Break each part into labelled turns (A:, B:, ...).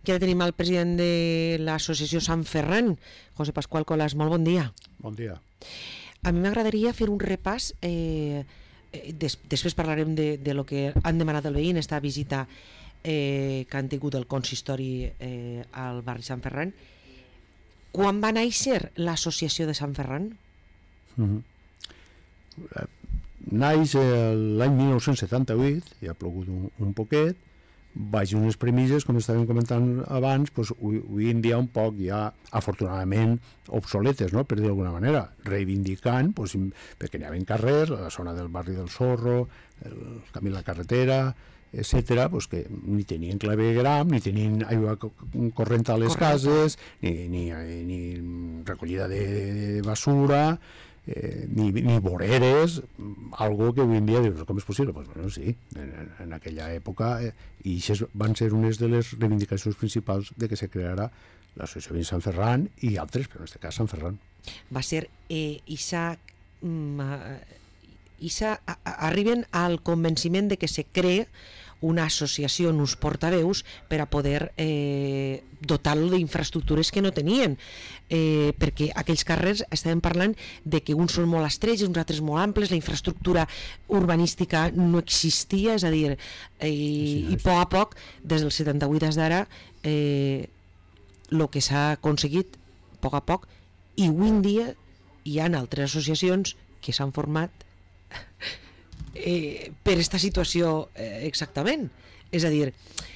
A: que ara tenim el president de l'associació Sant Ferran, José Pascual Colas. Molt bon dia.
B: Bon dia.
A: A mi m'agradaria fer un repàs, després parlarem de lo que han demanat el veí en esta visita que han tingut el consistori al barri Sant Ferran. Quan va néixer l'associació de Sant Ferran?
B: Naix l'any 1978, ja ha plogut un poquet, baix unes premisses, com estàvem comentant abans, doncs, avui en dia un poc ja, afortunadament, obsoletes, no? Per dir d'alguna manera, reivindicant, doncs, perquè n'hi havia carrers, la zona del barri del Zorro, el camí de la carretera, etcètera, doncs que ni tenien clavegram, ni tenien aigua corrent a les cases, ni recollida de basura, ni voreres, algo que avui en dia dius, com és possible? Pues, bueno, sí, en aquella època, i això van ser unes de les reivindicacions principals de que se creara l'associació de Sant Ferran i altres, però en aquest cas Sant Ferran.
A: Va ser arriben al convenciment de que se crea una associació en uns portaveus per a poder dotar-lo d'infraestructures que no tenien, perquè aquells carrers estàvem parlant de que uns són molt estrets, uns altres molt amples, la infraestructura urbanística no existia, és a dir, i a poc a poc, des del 78 des d'ara, el que s'ha aconseguit a poc, i avui en dia hi ha altres associacions que s'han format per aquesta situació exactament. És a dir,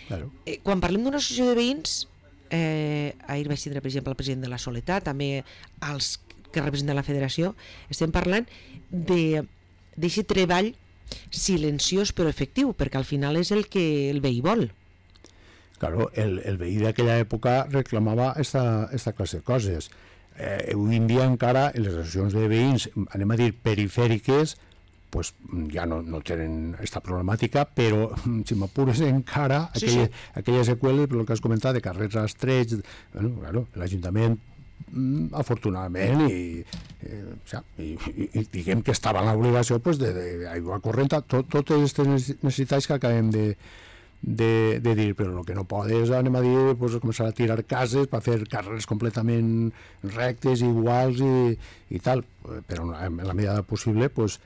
A: claro. Quan parlem d'una associació de veïns, ahir vaig tindre per exemple el president de la Soletat, també els que representen la federació, estem parlant d'aquest treball silenciós però efectiu, perquè al final és el que el veí vol.
B: Claro, el veí d'aquella època reclamava esta classe de coses. Avui en dia encara les associacions de veïns, anem a dir perifèriques, pues ja no tenen aquesta problemàtica, però si m'apures encara aquelles seqüeles, pel que has comentat, de carrers estrets, bueno, claro, l'Ajuntament afortunadament i diguem que estava en l'obligació pues, d'aigua corrent, totes aquestes necessitats que acabem de dir, però el que no podes, anem a dir, pues, començar a tirar cases per fer carrers completament rectes, iguals i tal, però en la medida possible pues,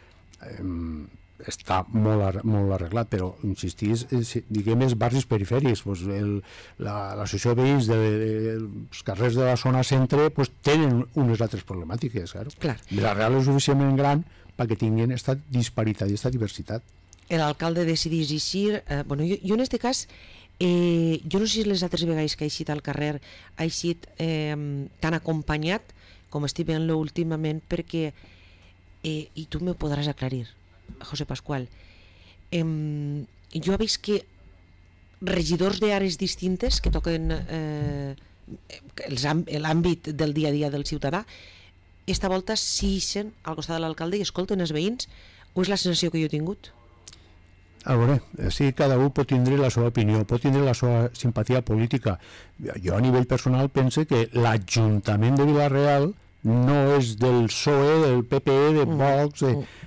B: està molt arreglat, però insistís, diguem, els barris perifèrics, pues, l'associació de veïns dels carrers de la zona centre pues, tenen unes altres problemàtiques, claro. La Real és suficientment gran perquè tinguin aquesta disparitat i aquesta diversitat.
A: L'alcalde decidís eixir, bueno, jo en aquest cas, jo no sé si les altres vegades que ha eixit al carrer ha eixit tan acompanyat com estic veient-lo últimament, perquè i tu me podràs aclarir, José Pascual, jo he vist que regidors d'àrees distintes que toquen l'àmbit del dia a dia del ciutadà, esta volta s'ixen al costat de l'alcalde i escolten els veïns, o és la sensació que jo he tingut?
B: A veure, sí, cada un pot tindre la seva opinió, pot tindre la seva simpatia política. Jo a nivell personal pense que l'Ajuntament de Vila-real no és del PSOE, del PPE, de Vox,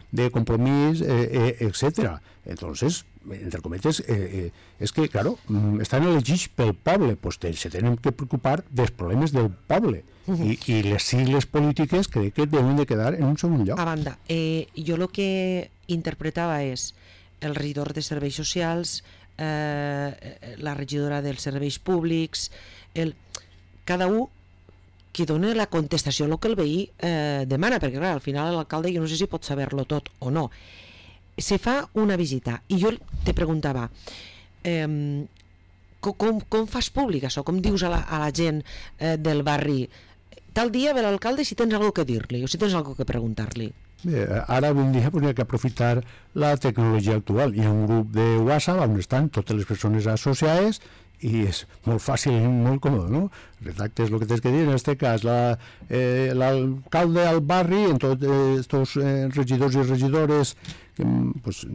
B: de Compromís, etc. Entonces, entre cometes, és que, claro, estan elegits pel poble, pues se tenen que preocupar dels problemes del poble. I les sigles polítiques crec que deuen de quedar en un segon lloc.
A: A banda, jo el que interpretava és el regidor de serveis socials, la regidora dels serveis públics, cada un que dona la contestació a el que el veí demana, perquè clar, al final l'alcalde jo no sé si pot saber-lo tot o no. Se fa una visita i jo te preguntava com fas públic això? Com dius a la gent del barri tal dia ve l'alcalde si tens alguna cosa que dir-li o si tens alguna cosa que preguntar-li?
B: Bé, ara avui en dia hi ha que aprofitar la tecnologia actual. Hi ha un grup de WhatsApp on estan totes les persones associades i és molt fàcil i molt còmode, no? Redactes el que tens que dir, en aquest cas l'alcalde al barri, en tots els regidors i regidores que, pues,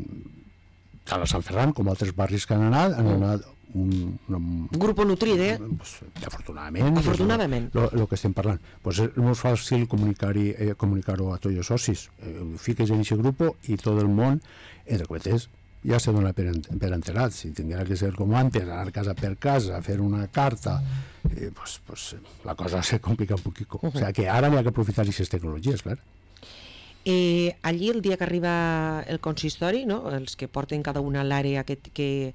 B: tant a Sant Ferran com a altres barris que han anat un
A: grup nutrit,
B: pues, afortunadament el que estem parlant, pues és molt fàcil comunicar-ho a tots els socis, fiques en aquest grup i tot el món, entre cometes, ja se dona per enterat. Si tindria que ser com antes, anar casa per casa, fer una carta, pues la cosa se complica un poquito. O sea que ara n'hi ha que aprofitar aquestes tecnologies, clar.
A: Allí, el dia que arriba el consistori, no? Els que porten cada una a l'àrea que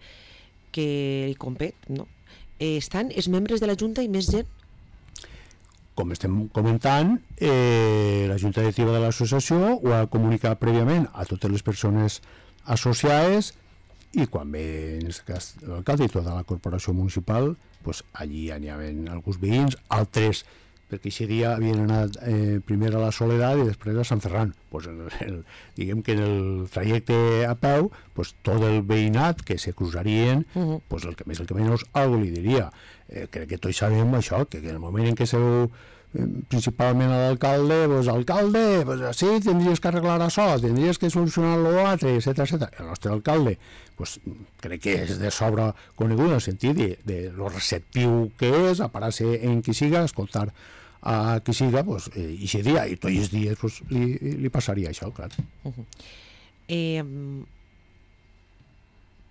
A: hi compet, no? Estan els membres de la Junta i més gent?
B: Com estem comentant, la Junta Directiva de l'associació ho ha comunicat prèviament a totes les persones associades i quan ve, en aquest cas, l'alcalde i tota la corporació municipal, pues, allí n'hi havia alguns veïns, altres, perquè aquest dia havien anat primer a la Soledat i després a Sant Ferran. Pues diguem que en el trajecte a peu, pues, tot el veïnat que se cruzarien, pues, el que més el que menys algo li diria. Crec que tots sabem això, que en el moment en què se veu principalment a l'alcalde, pues, alcalde, pues, sí, tindries que arreglar això, tindries que solucionar l'altre, etcètera. El nostre alcalde, pues, crec que és de sobre conegut en el sentit de lo receptiu que és, a parar-se en qui siga, escoltar a qui siga, pues, i aquest dia, i tots els dies, pues, li passaria això, clar.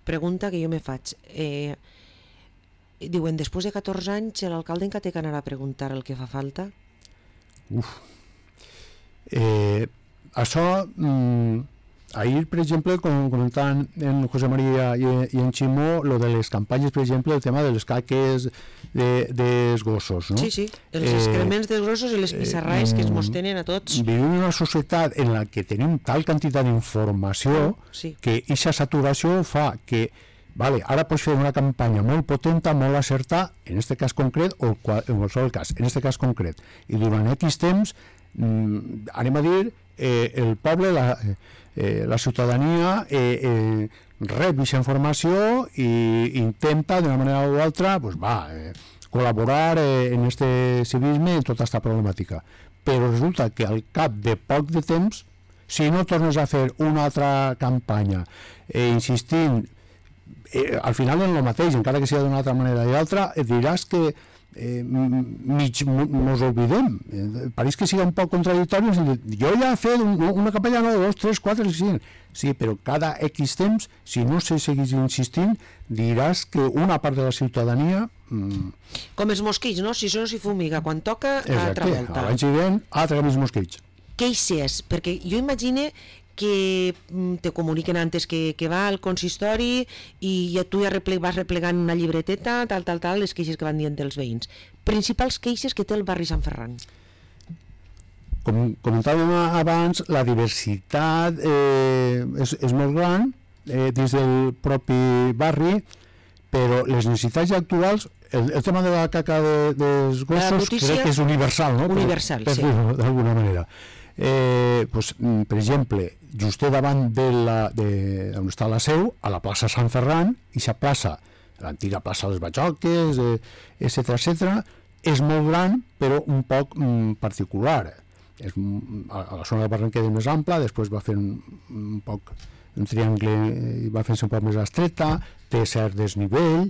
A: Pregunta que jo me faig. Diuen, després de 14 anys, l'alcalde encara té que anar a preguntar el que fa falta?
B: Això, ahir, per exemple, comentant en José María i en Ximó, lo de les campanyes, per exemple, el tema de les caques dels gossos, no?
A: Sí, els excrements dels gossos i les pissarraes que es mos tenen a tots.
B: Vivim en una societat en la que tenim tal quantitat d'informació que aquesta saturació fa que vale, ara pots fer una campanya molt potenta, molt acertada, en aquest cas concret, o en qualsevol cas, en aquest cas concret. I durant X temps, anem a dir, el poble, la ciutadania, rep aquesta informació i intenta, d'una manera o altra, pues, col·laborar en aquest civisme, en tota aquesta problemàtica. Però resulta que al cap de poc de temps, si no tornes a fer una altra campanya, insistint, al final en el mateix, encara que sigui d'una altra manera i altra, diràs que mos oblidem. Pareix que sigui un poc contradictori. Jo ja he fet una campanya, no, 2, 3, 4, 5. Sí, però cada X temps, si no se seguís insistint, diràs que una part de la ciutadania...
A: Com els mosquits, no? Si això s'hi fumiga, quan toca, altra volta.
B: Abans hi ven, altra més mosquits.
A: Queixes, perquè jo imagine que te comuniquen antes que va al consistori i tu ja vas replegant una llibreteta, tal, les queixes que van dient dels veïns. Principals queixes que té el barri Sant Ferran.
B: Com comentàvem abans, la diversitat és molt gran dins del propi barri, però les necessitats actuals, el tema de la caca dels gossos crec que és universal, no?
A: Universal,
B: per dir-ho d'alguna manera. Pues, per exemple, just davant on està la seu, a la plaça Sant Ferran, i la plaça, l'antiga plaça Les Batxoques, etcètera, és molt gran, però un poc particular. A la zona del barranquer és més ampla, després va fer un poc un triangle i va fer-se un poc més estreta, té cert desnivell,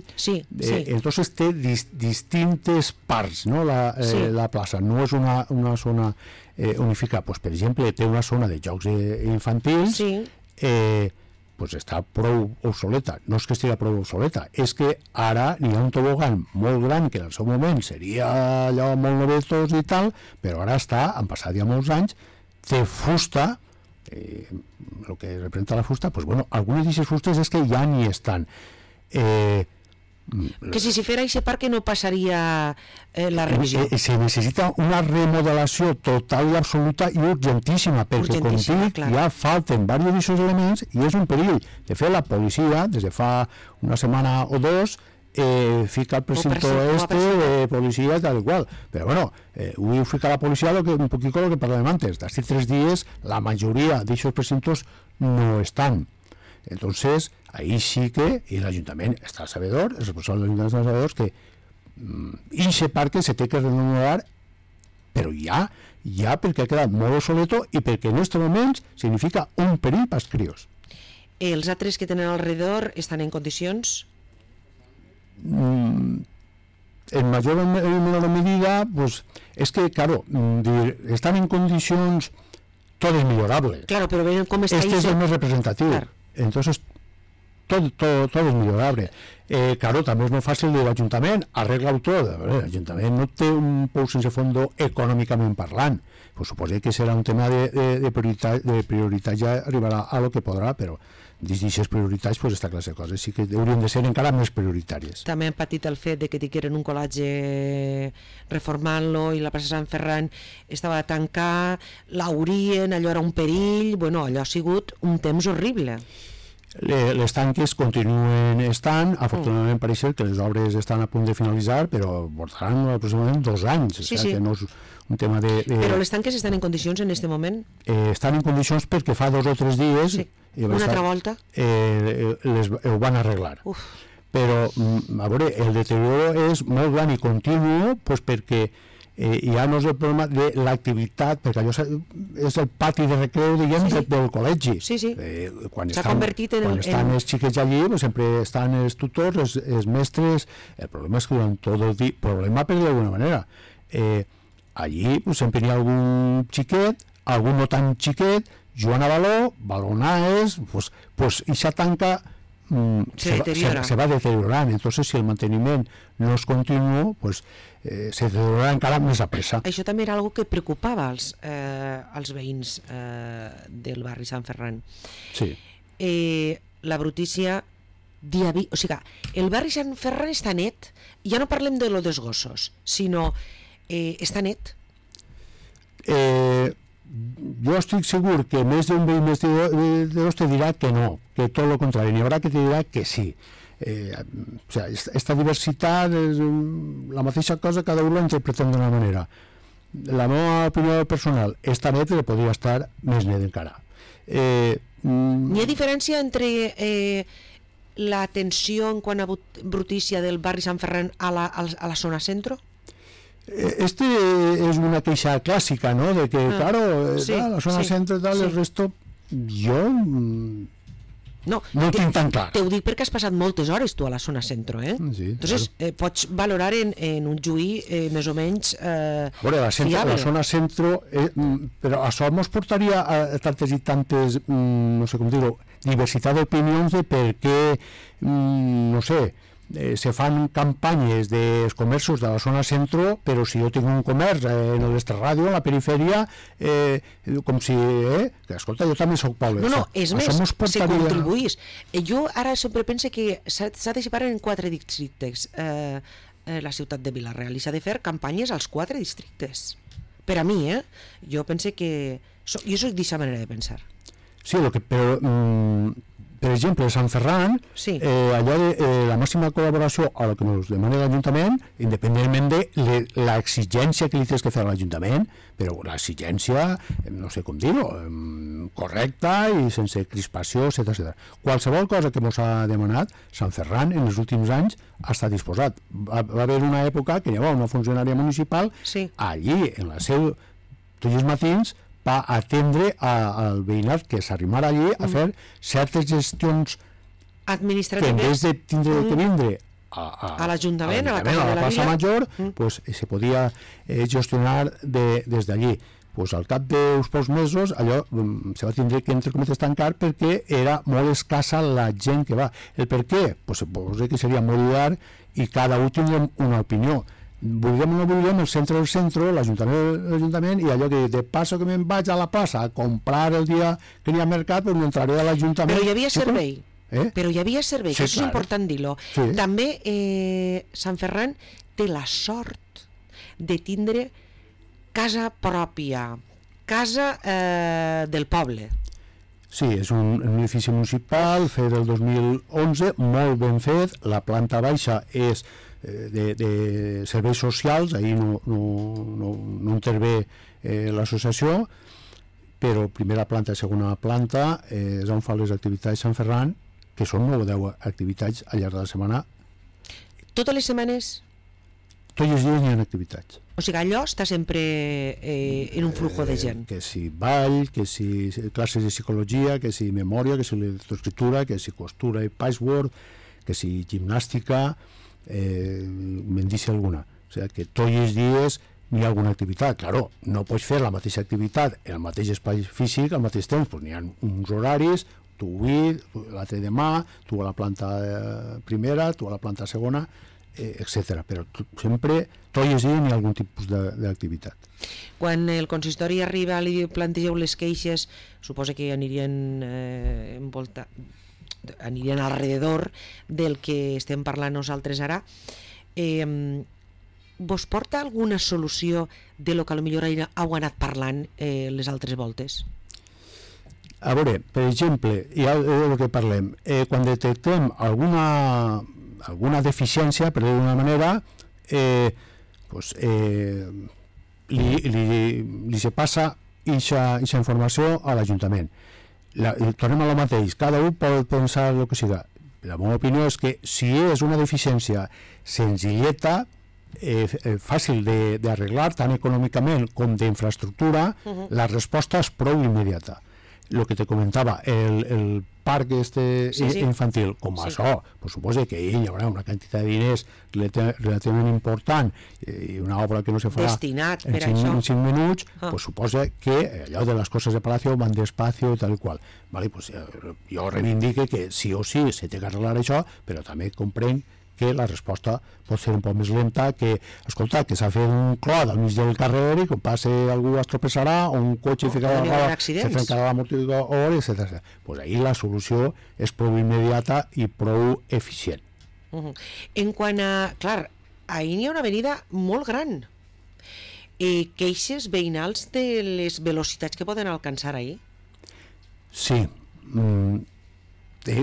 B: entonces té distintes parts, no? La plaça no és una zona unificada. Pues, per exemple, té una zona de jocs infantils, pues està prou obsoleta. No és que estigui prou obsoleta, és que ara n'hi ha un tobogan molt gran que en el seu moment seria allò molt novetós i tal, però ara han passat ja molts anys, té fusta, el que representa la fusta, pues bueno, algunes d'aquestes fustes és que ja n'hi estan.
A: Que si fera aquest parc no passaria la revisió.
B: Se necessita una remodelació total i absoluta i urgentíssima, perquè com dic, ja falten diversos d'aquests elements i és un perill. De fet, la policia, des de fa una setmana o dos, fica el precinto de policia tal igual, però bueno, ho fica la policia un poquito lo que parlàvem antes, d'aquests 3 dies la majoria d'aquests precintos no estan. Entonces, ahí sí que, y el Ayuntament està sabedor, el responsable de l'Ajuntament està sabedor, que aquest parc se té que renovar, però ja perquè ha quedat molt obsoleto i perquè en aquests moments significa un perill pels crios.
A: Els altres que tenen alrededor estan en condicions?
B: En mayor o menor medida, pues es que, claro, están en condiciones, todo es mejorable.
A: Claro, pero ven cómo está
B: este es el más representativo. Claro. Entonces, todo es millorable. Claro, també és molt fàcil dir l'Ajuntament arregla-ho tot. L'Ajuntament no té un pou sense fondo econòmicament parlant. Pues suposo que serà un tema de prioritat, ja arribarà a lo que podrà, però dins d'aquestes prioritats pues, aquesta classe de coses sí que haurien de ser encara més prioritàries.
A: També han patit el fet de que tingueren un col·legi reformant-lo i la plaça Sant Ferran estava a tancar, l'haurien, allò era un perill, bueno, allò ha sigut un temps horrible.
B: Les tanques continuen estant, afortunadament pareix que les obres estan a punt de finalitzar, però portaran aproximadament 2 anys,
A: sí.
B: Que no és un tema de...
A: Però les tanques estan en condicions en aquest moment?
B: Estan en condicions perquè fa 2 o 3 dies...
A: Sí. Una altra volta?
B: Ho van arreglar.
A: Uf.
B: Però, a veure, el deterioro és molt gran i continu pues, perquè ja no és el problema de l'activitat, perquè allò és el pati de recreu, diguem, del col·legi.
A: Sí.
B: S'ha convertit en... Quan estan els xiquets allí, pues, sempre estan els tutors, els mestres... El problema és que durant tot el dia... Problema, per dir d'alguna manera. Allí pues, sempre hi ha algun xiquet, algun no tan xiquet, jugant a baló, balonaes, pues ixa tanca se va deteriorant. Entonces, si el manteniment no es continu, pues se deteriorarà encara més a pressa.
A: Això també era algo que preocupava als veïns del barri Sant Ferran.
B: Sí.
A: La brutícia o sigui, el barri Sant Ferran està net, ja no parlem de lo dels gossos, sinó està net.
B: Jo estic segur que més d'un veí més de dos te dirà que no, que tot el contrari, n'hi haurà que te dirà que sí. O sea, esta diversitat és la mateixa cosa, cada un la interpretem d'una manera. La meva opinió personal, esta net podria estar més net encara.
A: N'hi ha diferència entre la tensió en quant a brutícia del barri Sant Ferran a la zona centro?
B: Este es una queixa clásica, ¿no? De que, claro, la zona centro y tal, el resto, yo no tinc tan clar.
A: Te ho dic perquè has passat moltes hores tu a la zona centro,
B: Sí,
A: entonces
B: claro.
A: Pots valorar en un juí més o menys
B: fiable. La zona centro, però això ens portaria a tantes i tantes, no sé com dir-ho, diversitat d'opinions de per què, no sé, se fan campanyes dels comerços de la zona centro, però si jo tinc un comerç en l'Esterradio, en la perifèria, com si... que escolta, jo també soc poble.
A: No, és més, se contribuís. Jo ara sempre pense que s'ha de separar en 4 districtes la ciutat de Vila-real i s'ha de fer campanyes als 4 districtes. Per a mi, jo pense que... Jo soc d'aquesta manera de pensar.
B: Sí, però... Per exemple, a Sant Ferran, allò de la màxima col·laboració a lo que ens demana l'Ajuntament, independentment de l'exigència que li tens que fer a l'Ajuntament, però l'exigència, no sé com dir-ho, correcta i sense crispació, etc. Qualsevol cosa que ens ha demanat, Sant Ferran en els últims anys ha estat disposat. Va haver una època que hi havia una funcionària municipal allí, en la seu, tots els matins, va atendre al veïnat que s'arrimara allí a fer certes gestions
A: administratives
B: que en vez de tindre que vindre
A: a l'Ajuntament, a la
B: plaça Major, pues, se podia gestionar des d'allí. Pues, al cap d'uns pocs mesos allò se va tindre que, entre cometes, tancar perquè era molt escassa la gent que va. El per què? Pues, suposo que seria molt llarg i cada un tindria una opinió. Vulguem o no vulguem, el centre del centre, l'Ajuntament, i allò que de passo que me'n vaig a la plaça a comprar el dia que n'hi ha mercat, doncs m'entraré a l'Ajuntament.
A: Però hi havia servei. Però hi havia servei, que això és important dir-lo. També Sant Ferran té la sort de tindre casa pròpia, casa del poble.
B: Sí, és un edifici municipal fet el 2011, molt ben fet. La planta baixa és de serveis socials, ahir no intervé l'associació, però primera planta i segona planta és on fa les activitats Sant Ferran, que són 9 o 10 activitats al llarg de la setmana.
A: Totes les setmanes?
B: Tots els dies hi ha activitats.
A: O sigui, allò està sempre en un flujo de gent.
B: Que si ball, que si classes de psicologia, que si memòria, que si lectoescriptura, que si costura i patchwork, que si gimnàstica, me'n deixa alguna. O sigui, que tots els dies hi ha alguna activitat. Claro, no pots fer la mateixa activitat en el mateix espai físic al mateix temps, doncs n'hi ha uns horaris, tu avui, l'altre demà, tu a la planta primera, tu a la planta segona, etc. Però sempre, tot i així, hi ha algun tipus d'activitat.
A: Quan el consistori arriba, li plantegeu les queixes, suposa que anirien anirien alrededor del que estem parlant nosaltres ara. Vos porta alguna solució de lo que potser heu anat parlant les altres voltes?
B: A veure, per exemple, ja del que parlem, quan detectem alguna deficiència, per dir-ho d'una manera, li se passa aquesta informació a l'Ajuntament. Tornem a lo mateix, cada un pot pensar el que siga. La meva opinió és que si és una deficiència senzilleta, fàcil d'arreglar tant econòmicament com d'infraestructura, la resposta és prou immediata. El que te comentava, el parc infantil, com això, pues suposa que hi haurà una quantitat de diners relativament important i una obra que no se farà
A: destinat per
B: en 5 minuts, pues suposa que allò de les coses de Palacio van despacio i tal i qual. Vale, pues, jo reivindique que sí o sí se té que arreglar això, però també comprenc que la resposta pot ser un poc més lenta, que, escolta, que s'ha fet un clot al mig del carrer i quan passi algú es tropeçarà o un cotxe se trencarà l'amortiguador, etc. Pues ahir la solució és prou immediata i prou eficient.
A: En quant a... Clar, ahir n'hi ha una avenida molt gran. Queixes veïnals de les velocitats que poden alcançar ahir?
B: Sí.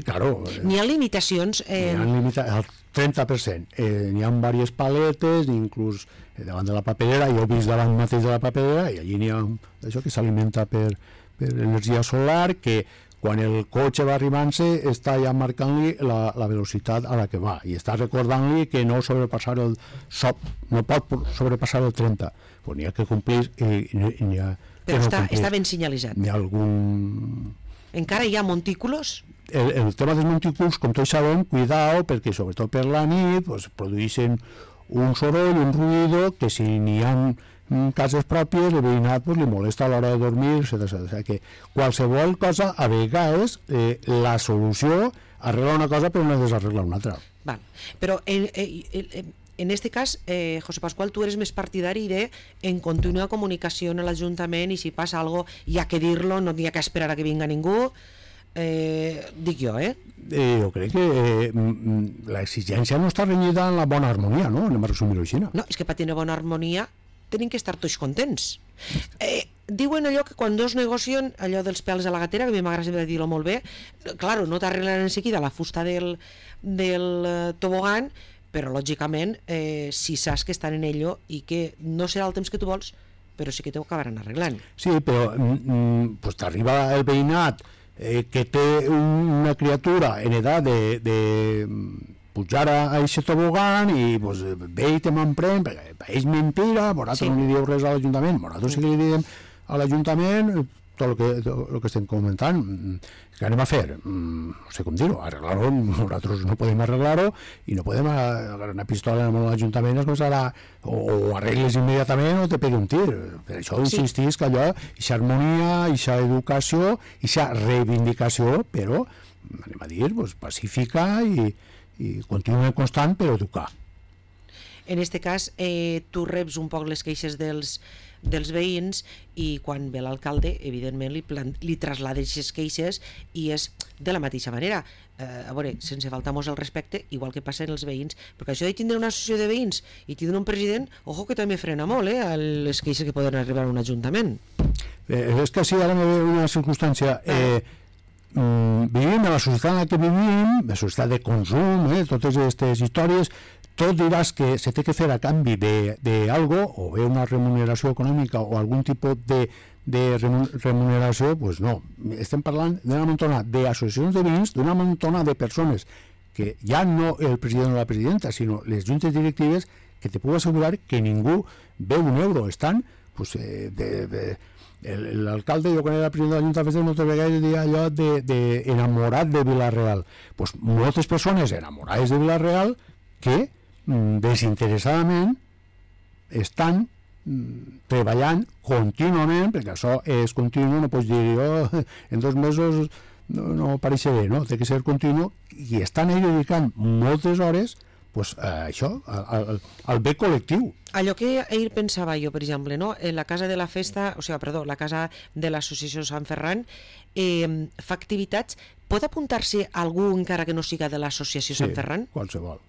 B: Claro.
A: N'hi ha limitacions?
B: Al 30%. N'hi ha diverses paletes, inclús davant de la paperera, jo he vist davant mateix de la paperera, i allí n'hi ha això que s'alimenta per energia solar, que quan el cotxe va arribant-se està ja marcant-li la velocitat a la que va, i està recordant-li que no sobrepassar no pot sobrepassar el 30. Pues n'hi ha que complir n'hi ha
A: però està ben senyalitzat.
B: N'hi ha algun...
A: Encara hi ha montículos?
B: El tema dels montículs, com tots sabem, cuidao, perquè sobretot per la nit pues, produeixen un soroll, un ruïdo, que si n'hi ha cases pròpies, el veïnat pues, li molesta a l'hora de dormir, etc. O sigui que qualsevol cosa, a vegades, la solució arregla una cosa però no desarregla una altra.
A: Val. Però en este cas, José Pascual, tu eres més partidari de en contínua comunicació a l'Ajuntament i si passa alguna cosa hi ha que dir-lo, no hi ha que esperar a que vinga ningú. Dic jo,
B: jo crec que l'exigència no està renyida en la bona harmonia, no? Anem a resumir-ho així.
A: No, és que per tenir bona harmonia tenim que estar tots contents. Diuen allò que quan dos negocien, allò dels pèls a la gatera, que a mi m'agrada dir-ho molt bé, claro, no t'arreglen en seguida la fusta del tobogan, però lògicament si saps que estan en ello i que no serà el temps que tu vols, però sí que t'ho acabaran arreglant.
B: Sí, però pues, t'arriba el veïnat que té una criatura en edat de pujar a aquest tobogan i pues, ve i te m'emprèn, perquè és mentira, vosaltres no li dieu res a l'Ajuntament, vosaltres sí que li diem a l'Ajuntament tot el que estem comentant. Què anem a fer? No sé com dir-ho, arreglar-ho, nosaltres no podem arreglar-ho i no podem agarrar una pistola amb l'Ajuntament es començarà o arregles immediatament o te pegui un tir. Per això insistís que allò, aquesta harmonia, aquesta educació, aquesta reivindicació, però, anem a dir, pues, pacífica i continua constant per educar.
A: En aquest cas, tu reps un poc les queixes dels veïns i quan ve l'alcalde, evidentment, li traslades aquestes queixes i és de la mateixa manera. A veure, sense faltar-nos el respecte, igual que passa en els veïns, perquè això de tindre una associació de veïns i tindre un president, ojo que també frena molt les queixes que poden arribar a un ajuntament.
B: És que sí, ara me ve una circumstància... Vivim a la societat en la que vivim, la societat de consum, totes aquestes històries, tot diràs que se té que fer a canvi d'algo, o bé una remuneració econòmica o algun tipus de remuneració, doncs no. Estem parlant d'una muntona d'associacions de veïns, d'una muntona de persones que ja no el president o la presidenta, sinó les juntes directives, que te puc assegurar que ningú veu un euro. Estan, doncs, l'alcalde, jo quan era president de l'Ajuntament moltes vegades deia allò d'enamorat de Vila-real. Pues moltes persones enamorades de Vila-real que desinteressadament estan treballant contínuament, perquè això és continu, no pots dir en 2 mesos no pareix bé, no? Té que ser continu i estan ahí dedicant moltes hores pues, això, al bé col·lectiu.
A: Allò que ahir pensava jo, per exemple, no? En la casa de la festa, la casa de l'associació Sant Ferran fa activitats. Pot apuntar-se algú encara que no siga de l'associació Sant Ferran?
B: Sí, qualsevol.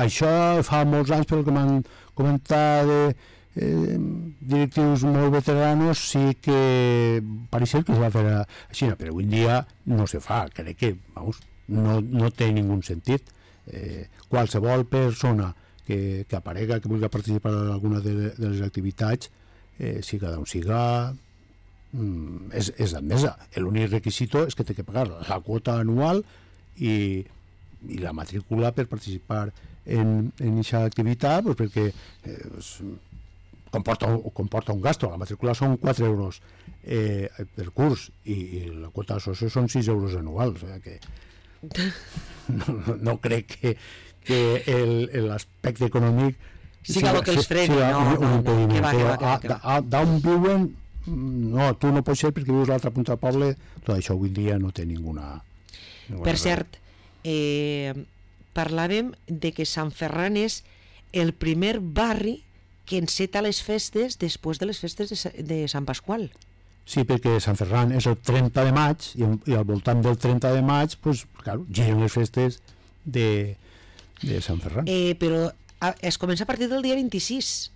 B: Això fa molts anys, pel que m'han comentat directius molt veteranos, sí que pareixia que es va fer així, però avui en dia no se fa. Crec que, vamos, no té ningú sentit. Qualsevol persona que aparega, que vulgui participar en alguna de les activitats, siga d'on siga, és admesa. L'únic requisit és que té que pagar la quota anual i la matrícula per participar en aquesta activitat, pues perquè comporta un gasto. La matrícula són 4 euros per curs i la quota d'associació són 6 euros anuals, o sigui que no crec que l'aspecte econòmic
A: siga el que els freni,
B: d'on viuen, no, tu no pots ser perquè vius a l'altra punta del poble. Tot això avui dia no té ninguna
A: per cert, parlàvem de que Sant Ferran és el primer barri que enceta les festes després de les festes de Sant Pasqual.
B: Sí, perquè Sant Ferran és el 30 de maig i al voltant del 30 de maig pues, claro, giren les festes de Sant Ferran.
A: Però es comença a partir del dia 26.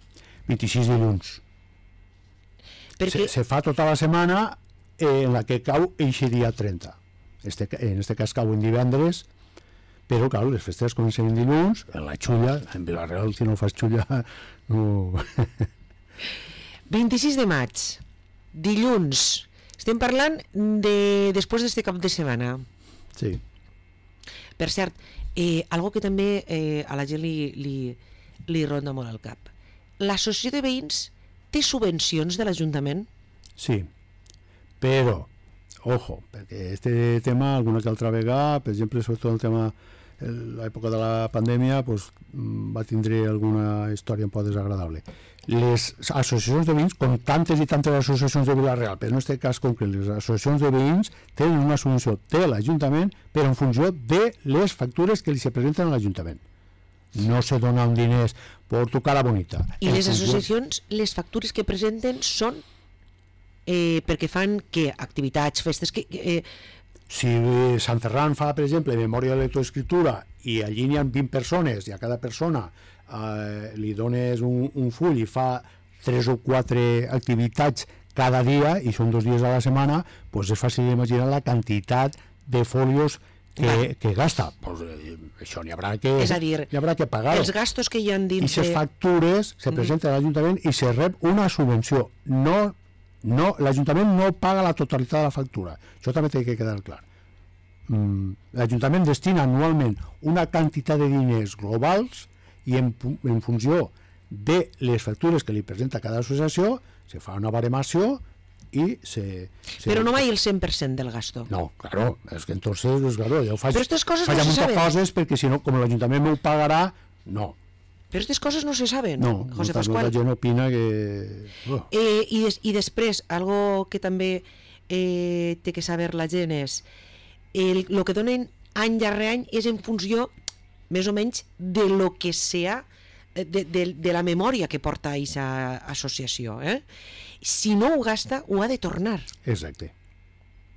B: 26 dilluns.
A: Perquè...
B: Se fa tota la setmana en la que cau eixe dia 30. En este cas cau en divendres, però claro, les festes comencen en dilluns, en la xulla, en Vila-real, si no fas xulla, no...
A: 26 de maig. Dilluns. Estem parlant de després d'este cap de setmana.
B: Sí.
A: Per cert, algo que també a la gent li ronda molt al cap. L'associació de veïns té subvencions de l'Ajuntament?
B: Sí, però, ojo, perquè este tema alguna que altra vegada, per exemple, sobretot el tema l'època de la pandèmia, pues, va tindre alguna història un poc desagradable. Les associacions de veïns, com tantes i tantes associacions de Vila-real, però en aquest cas concret, les associacions de veïns tenen una subvenció de l'Ajuntament però en funció de les factures que li se presenten a l'Ajuntament. No se donen diners per tocar la bonita.
A: I les associacions, les factures que presenten són perquè fan què? Activitats, festes...
B: Si Sant Ferran fa, per exemple, memòria de lectoescriptura i allí n'hi ha 20 persones i a cada persona li dones un full i fa 3 o 4 activitats cada dia i són 2 dies a la setmana, pues és fàcil imaginar la quantitat de folios que gasta. Pues, això n'hi haurà que pagar.
A: Els gastos que hi ha dins...
B: I les factures se presenten a l'Ajuntament i se rep una subvenció. L'Ajuntament no paga la totalitat de la factura. Això també té que quedar clar. L'Ajuntament destina anualment una quantitat de diners globals i en funció de les factures que li presenta cada associació se fa una baremació i
A: Però no mai el 100% del gasto.
B: No, claro, és que entonces, claro, jo faig
A: moltes
B: coses perquè si no, com l'Ajuntament m'ho pagarà, no.
A: Però aquestes coses no se saben,
B: no,
A: José Pascual.
B: La gent opina que...
A: I després, algo que també té que saber la gent és el que donen any darrere any és en funció més o menys de lo que sea de la memòria que porta aquesta associació. Si no ho gasta, ho ha de tornar.
B: Exacte.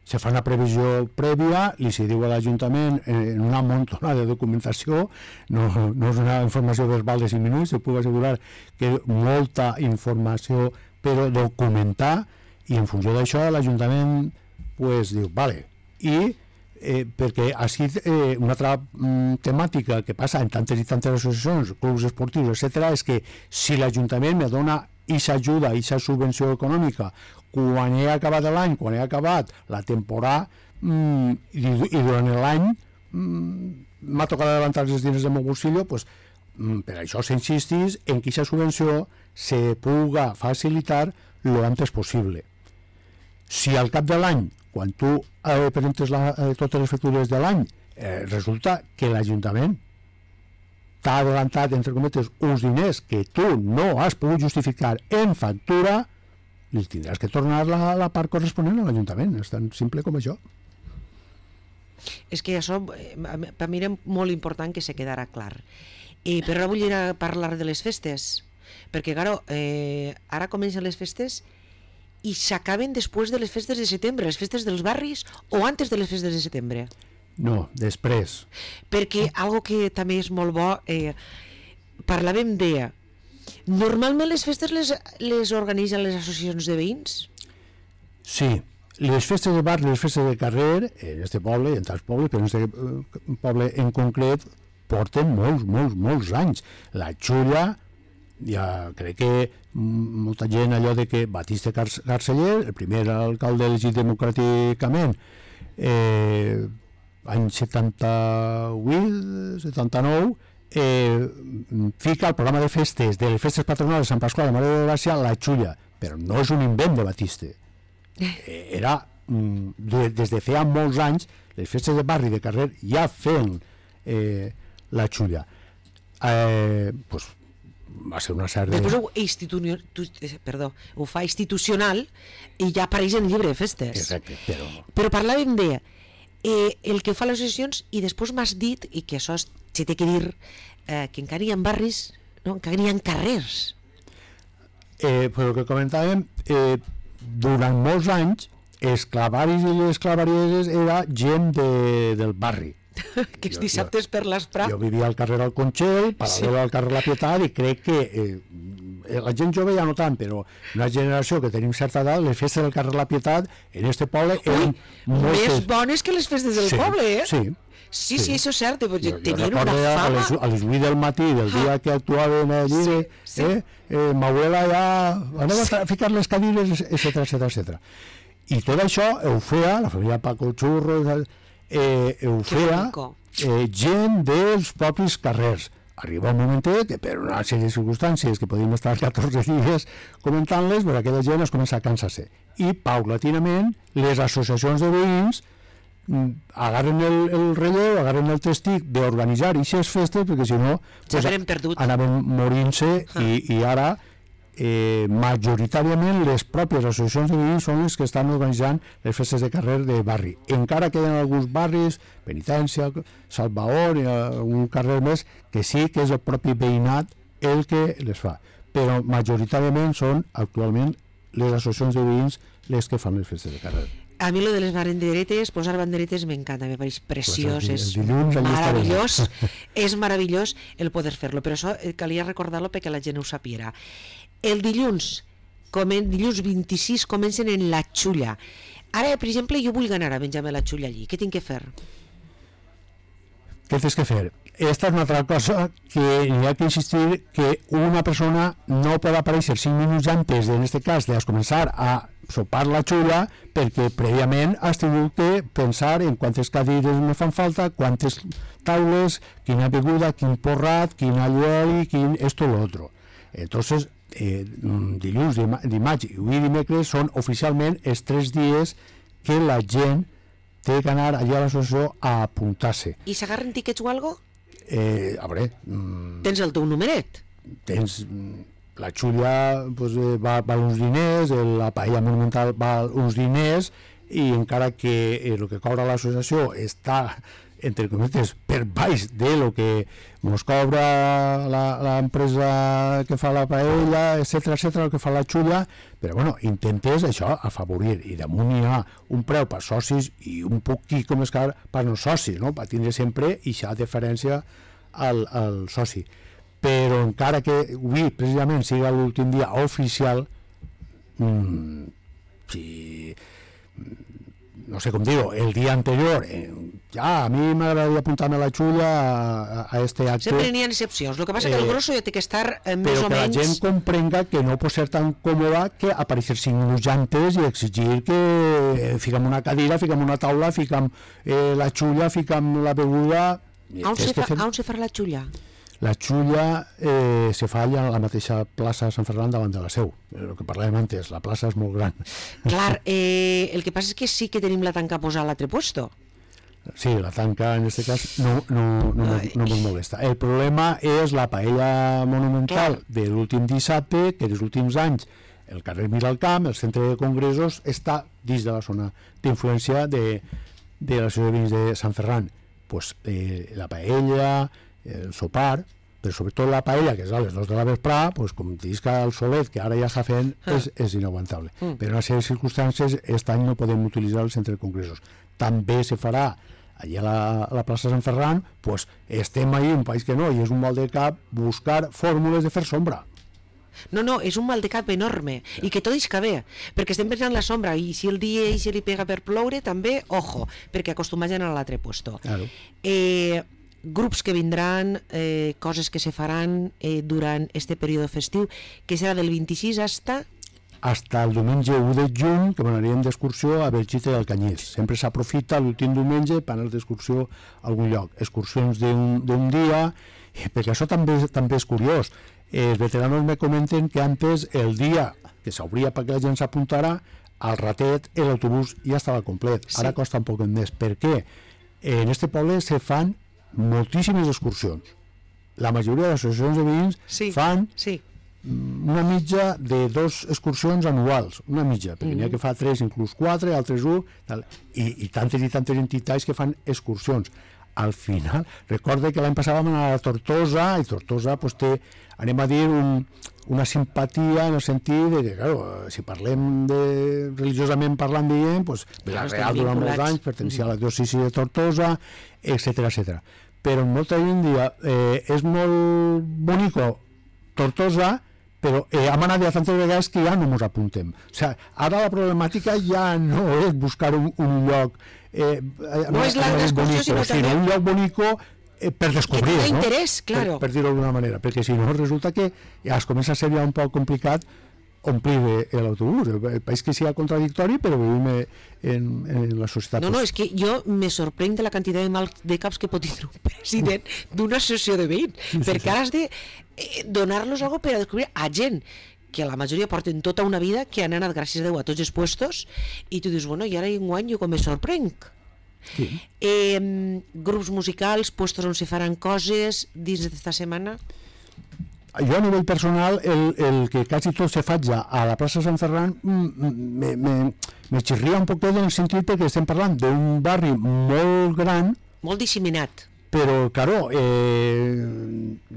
B: Se fa una previsió prèvia, li se diu a l'Ajuntament en una montona de documentació, no és una informació verbal de 5 minuts, se puc assegurar que molta informació per documentar, i en funció d'això l'Ajuntament pues, diu, vale, i perquè així una altra temàtica que passa en tantes i tantes associacions, clubs esportius, etc., és que si l'Ajuntament me dona aquesta ajuda, aquesta subvenció econòmica quan he acabat l'any, quan he acabat la temporada i durant l'any m'ha tocat levantar els diners del meu bolsillo, pues, per això s'insistís en que aquesta subvenció se puga facilitar lo antes possible. Si al cap de l'any, quan tu presentes totes les factures de l'any, resulta que l'Ajuntament t'ha adelantat, entre cometes, uns diners que tu no has pogut justificar en factura, li tindràs que tornar la part corresponent a l'Ajuntament. És tan simple com això.
A: És que això per mi era molt important que se quedara clar. Però ara vull ir a parlar de les festes, perquè claro, ara comencen les festes i s'acaben després de les festes de setembre, les festes dels barris, o antes de les festes de setembre?
B: No, després.
A: Perquè algo que també és molt bo, parlàvem de... Normalment les festes les organitzen les associacions de veïns?
B: Sí, les festes de barri, les festes de carrer, en este poble i en tants pobles, però en este poble en concret, porten molts anys. La Xulla, ja crec que molta gent allò de que Batiste Carceller, el primer alcalde elegit democràticament, any 78, 79, fica el programa de festes de les festes patronals de Sant Pasqual de Mare de Gràcia la Xulla, però no és un invent de Batiste. Era, des de feia molts anys, les festes de barri de carrer ja feien la Xulla. Pues, va ser una sèrie...
A: Després ho fa institucional i ja apareix en el llibre de festes.
B: Exacte,
A: però parlàvem de el que fa les associacions, i després m'has dit, i que això se té que dir, que encara hi ha barris, no? Encara hi ha carrers.
B: Però el que comentàvem, durant molts anys els clavaris i les clavarieres era gent del barri.
A: Que els dissabtes per l'Esprat.
B: Jo vivia al carrer del Conxell, paral·lel al carrer La Pietat, i crec que la gent jove ja no tant, però una generació que tenim certa edat, les festes del carrer La Pietat en este poble eren
A: més bones que les festes del poble, eh?
B: Sí,
A: això és cert,
B: jo
A: tenien una fama.
B: A les 8 del matí del dia que actuaven allí, m'abuela ja anem a ficar les cadires, etcètera. I tot això ho feia la família Paco Churro, ho feia gent dels propis carrers. Arriba un momentet que per una sèrie de circumstàncies que podíem estar 14 dies comentant-les, però aquella gent es comença a cansar-se. I paulatinament les associacions de veïns agarren el relleu, agarren el testic d'organitzar aquestes festes, perquè si no anaven morint-se i ara majoritàriament les pròpies associacions de veïns són les que estan organitzant les festes de carrer de barri. Encara queden alguns barris, Penitència, Salvador i un carrer més, que sí que és el propi veïnat el que les fa, però majoritàriament són actualment les associacions de veïns les que fan les festes de carrer.
A: A mi lo de les banderetes, posar banderetes m'encanta, me pareix preciós, és meravellós, és meravellós el poder fer-lo, però això calia recordar-lo perquè la gent ho sapiera. El dilluns 26 comencen en la Xulla. Ara, per exemple, jo vull anar a menjar-me la Xulla allí, què tinc que fer?
B: Què tens que fer? Esta és una altra cosa que hi ha que insistir que una persona no pot aparèixer 5 minuts antes, en aquest cas, de començar a sopar la Xulla, perquè prèviament has tingut que pensar en quantes cadires me fan falta, quantes taules, quina beguda, quin porrat, quin allueli, quin esto lo otro. Entonces, dilluns, dimarts i dimecres són oficialment els 3 dies que la gent té que anar allà a l'associació a apuntar-se.
A: I s'agarren tiquets o algo?
B: A veure...
A: Tens el teu numeret?
B: Tens... La Xulla va uns diners, la paella monumental va uns diners, i encara que el que cobra l'associació està, entre cometes, per baix de lo que ens cobra l'empresa que fa la paella, etcètera, el que fa la Xulla, però bueno, intentes això, afavorir, i damunt hi ha un preu per socis i un poquit com és car per no socis, no? Per tindre sempre aquesta diferència al soci. Però encara que avui precisament sigui l'últim dia oficial, si no sé com dir-ho, el dia anterior ja, a mi m'agradaria apuntar-me a la Xulla a este acte.
A: Sempre n'hi ha excepcions, el que passa que el grosso ja té que estar més o menys...
B: Però que la gent comprenga que no pot ser tan còmoda que aparèixer 5 minuts antes i exigir que fiquem una cadira, fiquem una taula, fiquem la Xulla, fiquem la beguda...
A: On se farà la Xulla?
B: La Xulla se fa allà a la mateixa plaça de Sant Ferran davant de la Seu. El que parlàvem antes, la plaça és molt gran.
A: Clar, el que passa és que sí que tenim la tanca posada a l'altre puesto.
B: Sí, la tanca en aquest cas no ens molesta. El problema és la paella monumental de l'últim dissabte, que els últims anys el carrer Miralcamp, el centre de congressos, està dins de la zona d'influència de l'associació de veïns de Sant Ferran, pues, la paella, el sopar, però sobretot la paella, que és a les 2 de la vesprà, pues, com t'isca el solet, que ara ja està fent, és inaguantable. Per una sèrie de circumstàncies, aquest any no podem utilitzar el centre de congressos. També se farà allà a la plaça Sant Ferran, pues, estem ahí, un país que no, i és un mal de cap buscar fórmules de fer sombra.
A: No, és un mal de cap enorme, i que tot isca bé, perquè estem pensant en la sombra, i si el dia i si li pega per ploure, també, ojo, perquè acostumats a l'altre puesto.
B: Claro.
A: Grups que vindran, coses que se faran durant este període festiu, que serà del 26
B: hasta el diumenge 1 de juny, que anirem d'excursió a Belchite del Canyís. Sempre s'aprofita l'últim diumenge per anar d'excursió a algun lloc. Excursions d'un dia, perquè això també és curiós. Els veteranos me comenten que antes el dia que s'obria perquè la gent s'apuntara, al ratet l'autobús ja estava complet. Ara costa un poc més. Per què? En este poble se fan moltíssimes excursions. La majoria de les associacions de veïns fan una mitja de 2 excursions anuals, una mitja, perquè n'hi ha que fa 3, inclús 4, altres 1, i tantes entitats que fan excursions. Al final, recorda que l'any passat vam anar a Tortosa, i Tortosa pues, té, anem a dir, una simpatia en el sentit de que, claro, si parlem religiosament parlant, diguem, pues, Vila-real durant molts anys, pertencia a la diòcesi de Tortosa, etc. Però molta gent dia és molt bonico Tortosa, però hem anat ja tantes vegades que ja no ens apuntem. O sigui, ara la problemàtica ja no és buscar un lloc
A: no és la d'excursió, sinó
B: un lloc bonico per descobrir,
A: no? Interès, claro.
B: Per dir-ho d'alguna manera, perquè si no resulta que ja es comença a ser ja un poc complicat omplir l'autobús. El país que sigui contradictori, però vivim en la societat.
A: No, és que jo me sorprenc de la quantitat de mal de caps que pot tindre un president d'una associació de veïns, perquè ara has de donar-los alguna cosa per a descobrir a gent que la majoria porten tota una vida, que han anat, gràcies a Déu, a tots els puestos, i tu dius, bueno, i ara enguany jo com me sorprenc. Grups musicals, puestos on se faran coses dins d'esta setmana?
B: Jo a nivell personal, el que quasi tot se faig a la plaça Sant Ferran me xirria un poc en el sentit perquè estem parlant d'un barri molt gran,
A: molt disseminat,
B: però, claro,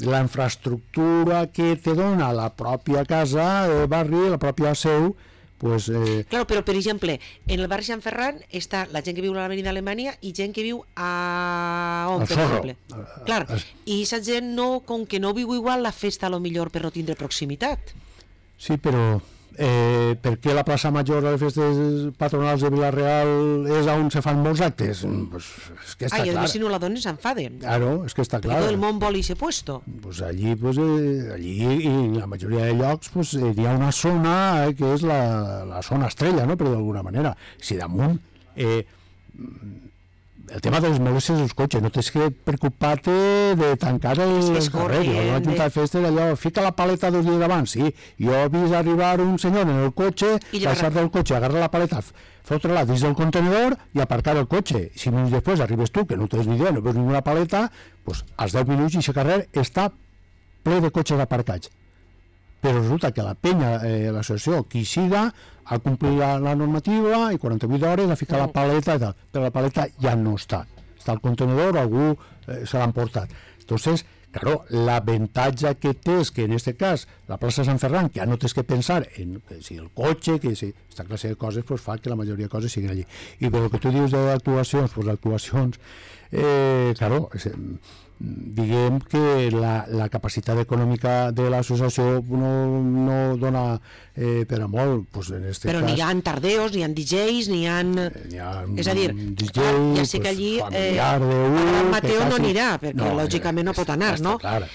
B: la infraestructura que te dona la pròpia casa, el barri, la pròpia seu, pues...
A: Claro, però, per exemple, en el barri Sant Ferran està la gent que viu a l'avenida Alemanya i gent que viu on, per exemple. Clar, i aquesta gent, com que no viu igual, la festa, a lo millor, per no tindre proximitat.
B: Sí, però... per què la plaça Major a les festes patronals de Vila-real és on se fan molts actes? Pues és que està clar.
A: I a més si no la donen s'enfaden.
B: Claro, és que està clar.
A: Perquè tot el món vol ese puesto.
B: Pues allí i en la majoria de llocs pues, hi ha una zona que és la zona estrella, no? Però d'alguna manera. Si damunt el tema de les molèsties dels cotxes, no tens que preocupar-te de tancar els carrers. La Junta de Festes, allò, fica la paleta 2 dies abans, sí. Jo he vist arribar un senyor en el cotxe, baixar del cotxe, agarrar la paleta, fotre-la dins del contenedor i aparcar el cotxe. 5 minuts després arribes tu, que no tens ni idea, no veus ninguna paleta, doncs als 10 minuts i aquest carrer està ple de cotxes aparcats. Però resulta que la penya, l'associació, qui siga, ha complit la normativa i 48 hores ha ficat la paleta i tal, però la paleta ja no està al contenedor, algú se l'ha emportat. Entonces, claro, l'avantatge que té és que en aquest cas la plaça Sant Ferran, que ja no tens que pensar en si el cotxe, que si aquesta classe de coses pues, fa que la majoria de coses siguin allí. I per el que tu dius d'actuacions, pues actuacions, claro, diguem que la capacitat econòmica de l'associació no dona per a molt, pues en este
A: però
B: cas...
A: Però n'hi ha tardeos, n'hi ha DJs, n'hi ha... És a dir,
B: DJ,
A: ja sé que allí
B: Mateo
A: no anirà, perquè lògicament no pot anar, no?
B: Clar.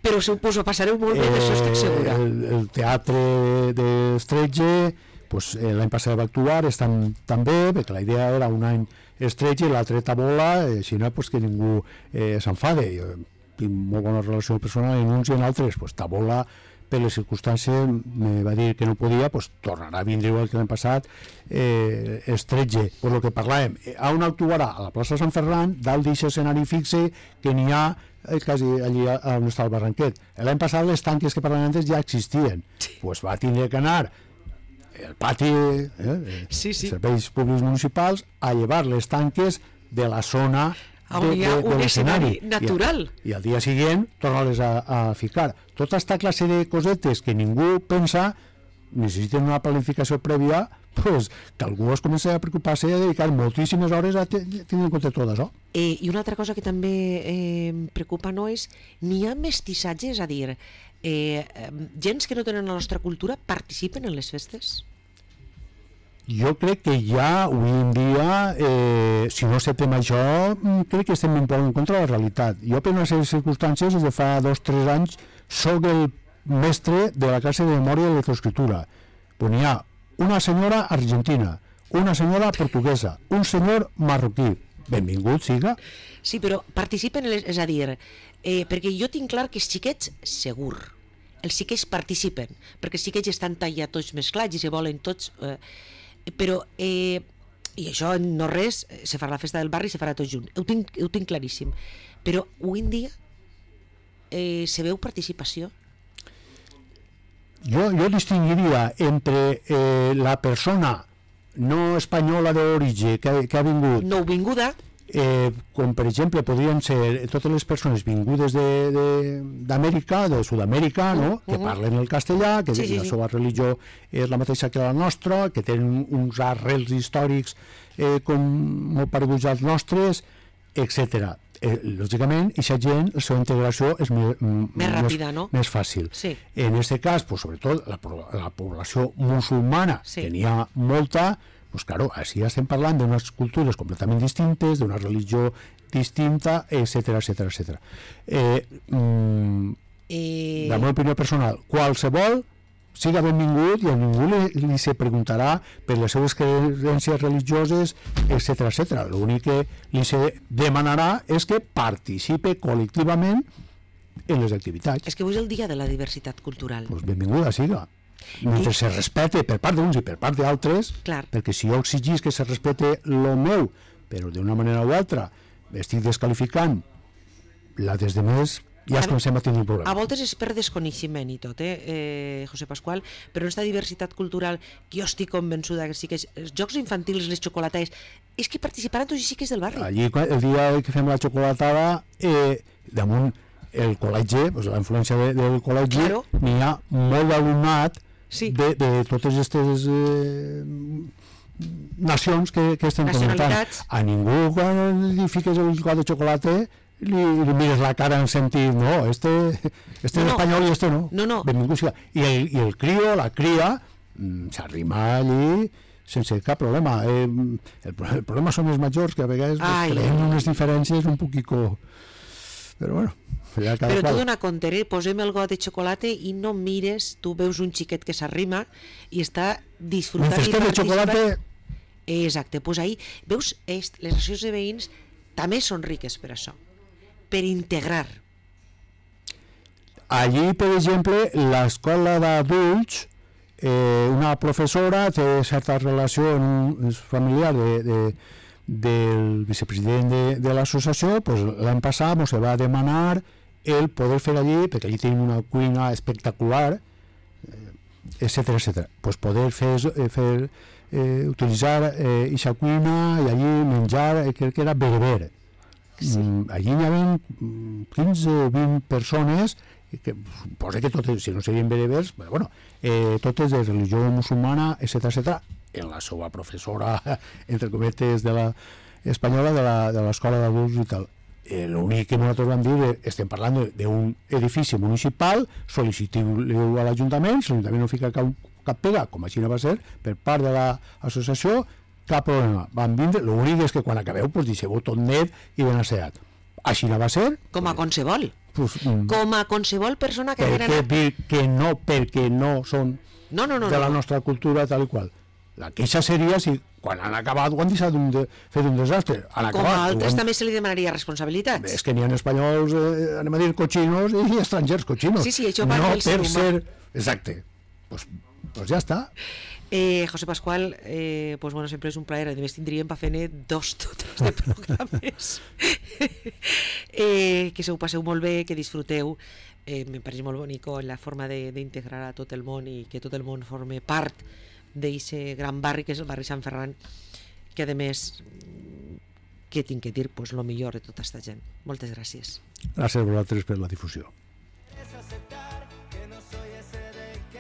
A: Però suposo passareu molt bé, d'això estic segura.
B: El teatre d'Estretge, pues, l'any passat va actuar, estan també, perquè la idea era un any Estretge i l'altre Tabola, si no, pues, que ningú s'enfade. Jo tinc molt bona relació personal en uns i en altres. Pues, Tabola, per les circumstàncies, me va dir que no podia, pues, tornarà a vindre igual que l'any passat. Estretge, pues, el que parlàvem, on actuarà? A la plaça Sant Ferran, dalt d'aquest escenari fixe que n'hi ha quasi allí on està el Barranquet. L'any passat les tanques que parlàvem antes ja existien. Pues va tindre que anar el pati,
A: Sí.
B: serveis públics municipals, a llevar les tanques de la zona
A: on hi ha un escenari natural.
B: I al dia següent tornar-les a ficar. Tota aquesta classe de cosetes que ningú pensa necessiten una planificació prèvia, pues, que algú es comença a preocupar-se i a dedicar moltíssimes hores a tenir en compte tot això.
A: I una altra cosa que també em preocupa no és, n'hi ha mestissatge, és a dir, gens que no tenen la nostra cultura participen en les festes?
B: Jo crec que ja avui en dia, si no acceptem això, crec que estem un poc en contra de la realitat. Jo per una sèrie de circumstàncies, des de fa 2 o 3 anys, soc el mestre de la classe de memòria de lectoescriptura. Pues n'hi ha una senyora argentina, una senyora portuguesa, un senyor marroquí. Benvingut siga.
A: Sí, però participen, és a dir, perquè jo tinc clar que els xiquets, segur, els xiquets participen, perquè els xiquets estan tallats tots mesclats i se volen tots... però, i això no res, se farà la festa del barri i se farà tot junt, ho tinc claríssim, però avui en dia se veu participació?
B: Jo distingiria entre la persona no espanyola d'origen que ha vingut...
A: Nouvinguda.
B: Com per exemple podrien ser totes les persones vingudes d'Amèrica, de Sud-amèrica, no? Que parlen el castellà, que la seva religió és la mateixa que la nostra, que tenen uns arrels històrics com molt pareguts als nostres, etc. Lògicament, aquesta gent, la seva integració és
A: més ràpida, no?
B: Més fàcil.
A: Sí.
B: En aquest cas, pues, sobretot la població musulmana, que n'hi ha molta, pues claro, així estem parlant d'unes cultures completament distintes, d'una religió distinta, etc. La meva opinió personal, qualsevol siga benvingut i a ningú li se preguntarà per les seves creences religioses, etc. L'únic que li se demanarà és que participe col·lectivament en les activitats.
A: És que avui és el dia de la diversitat cultural.
B: Pues benvinguda siga. Mentre se respecte per part d'uns i per part d'altres, perquè si jo exigís que se respecte lo meu, però d'una manera o altra estic desqualificant la des de més, ja es comencem a tenir un problema.
A: A voltes és per desconeixement i tot, José Pascual, però aquesta diversitat cultural que jo estic convençuda que sí que és, els jocs infantils, les xocolates, és que participaran tots i sí que és del barri.
B: Allí, el dia que fem la xocolatada, damunt el col·legi, pues, la influència del col·legi, n'hi ha molt d'alumnat de totes aquestes nacions que estem comentant. A ningú, quan li fiques el got de xocolata, li mires la cara en sentit, no, este és espanyol i este no. Benvingut siga. I el crio, la cria, s'arrima allí sense cap problema. El problema són els majors, que a vegades creem unes diferències un poquico... Però bueno,
A: però tu dona compte, posem el got de xocolata i no mires, tu veus un xiquet que s'arrima i està disfrutant i participant. Exacte, doncs ahí veus, les associacions de veïns també són riques per això, per integrar.
B: Allí, per exemple, l'escola d'adults, una professora té certa relació familiar del vicepresident de l'associació, pues, l'any passat ens va demanar el poder fer allí, perquè allí tenim una cuina espectacular, etc. Pues poder utilitzar aquesta cuina i allí menjar, crec que era bereber. Allí hi havia 15 o 20 persones que suposa que totes, si no serien berebers, però bueno, totes de religió musulmana, etc. En la seva professora, entre cometes, espanyola de l'escola d'adults i tal. L'únic que nosaltres vam dir, estem parlant d'un edifici municipal, sol·licitiu a l'Ajuntament, si l'Ajuntament no fica cap pega, com així no va ser, per part de l'associació, cap problema. Van vindre, l'únic és que quan acabeu, deixeu-ho tot net i ben asseat. Així no va ser.
A: Com a qualsevol. Com a qualsevol persona que
B: haguera anat... dir que no, perquè no són de la nostra cultura tal i qual. La queixa seria si quan han acabat ho han deixat fer un desastre.
A: Com a altres també se li demanaria responsabilitats.
B: És que n'hi ha espanyols, anem a dir, cochinos i estrangers cochinos.
A: Sí, això va del ser humà.
B: Exacte. Pues ja està.
A: José Pascual, pues bueno, sempre és un plaer, a més tindríem per fer 2 totes de programes. Que se ho passeu molt bé, que disfruteu. Me pareix molt bonic la forma d'integrar a tot el món i que tot el món forme part d'aquest gran barri que és el barri Sant Ferran, que a més, què tinc que dir, pues, lo millor de tota aquesta gent. Moltes gràcies.
B: Gràcies a vosaltres per la difusió.